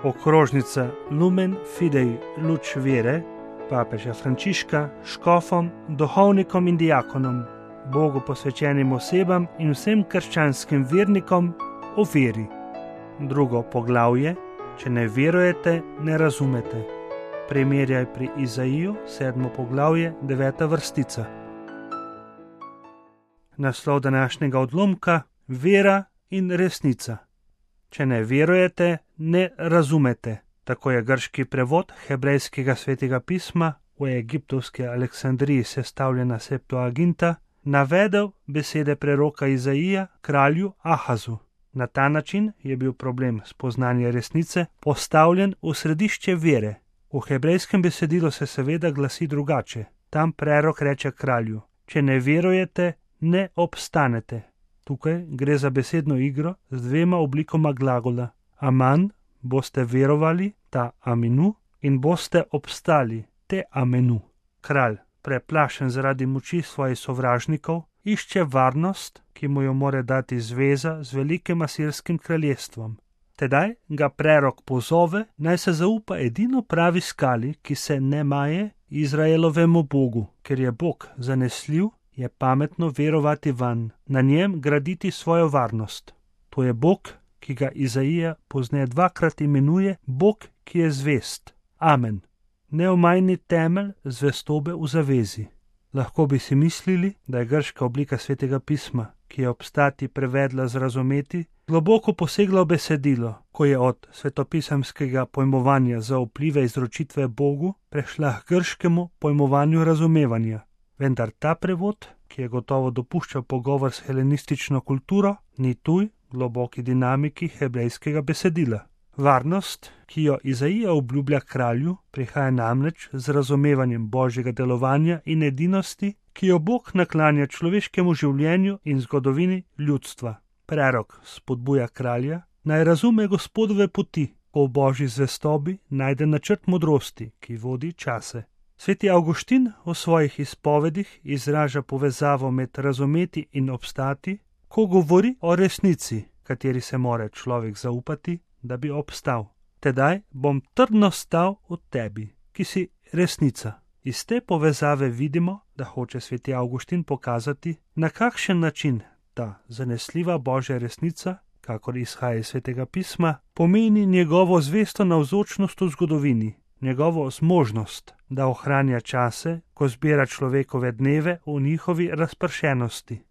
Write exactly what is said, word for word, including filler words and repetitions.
Okrožnica Lumen Fidei Luč vere papeža Frančiška škofom, duhovnikom in diakonom, Bogu posvečenim osebam in vsem krščanskim vernikom o veri. Drugo poglavje: če ne verujete, ne razumete. Primerjaj pri Izaiju, sedmo poglavje, deveta vrstica. Naslov današnjega odlomka: vera in resnica. Če ne verujete, ne razumete. Tako je grški prevod hebrejskega svetega pisma, v egiptovski Aleksandriji sestavljena Septuaginta, navedel besede preroka Izaija kralju Ahazu. Na ta način je bil problem spoznanja resnice postavljen v središče vere. V hebrejskem besedilu se seveda glasi drugače. Tam prerok reče kralju: če ne verujete, ne obstanete. Tukaj gre za besedno igro z dvema oblikoma glagola. Aman, boste verovali, ta aminu, in boste obstali, te amenu. Kralj, preplašen zaradi moči svojih sovražnikov, išče varnost, ki mu jo more dati zveza z velikim asirskim kraljestvom. Tedaj ga prerok pozove, naj se zaupa edino pravi skali, ki se ne maje, Izraelovemu Bogu. Ker je Bog zanesljiv, je pametno verovati vanj, na njem graditi svojo varnost. To je Bog, ki ga Izaija pozneje dvakrat imenuje Bog, ki je zvest. Amen. Neomajni temelj zvestobe v zavezi. Lahko bi si mislili, da je grška oblika svetega pisma, ki je obstati prevedla z razumeti, globoko posegla v besedilo, ko je od svetopisemskega pojmovanja za vplive izročitve Bogu prešla k grškemu pojmovanju razumevanja. Vendar ta prevod, ki je gotovo dopuščal pogovor s helenistično kulturo, ni tuj globoki dinamiki hebrejskega besedila. Varnost, ki jo Izaija obljublja kralju, prihaja namreč z razumevanjem Božjega delovanja in edinosti, ki jo Bog naklanja človeškemu življenju in zgodovini ljudstva. Prerok spodbuja kralja, naj razume Gospodove poti, ko v Božji zvestobi najde načrt modrosti, ki vodi čase. Sveti Avguštin v svojih izpovedih izraža povezavo med razumeti in obstati, ko govori o resnici, kateri se mora človek zaupati, da bi obstal. Tedaj bom trdno stal v tebi, ki si resnica. Iz te povezave vidimo, da hoče sveti Avguštin pokazati, na kakšen način ta zanesljiva Božja resnica, kakor izhaja iz svetega pisma, pomeni njegovo zvesto navzočnost v zgodovini, njegovo zmožnost, da ohranja čase, ko zbira človekove dneve v njihovi razpršenosti.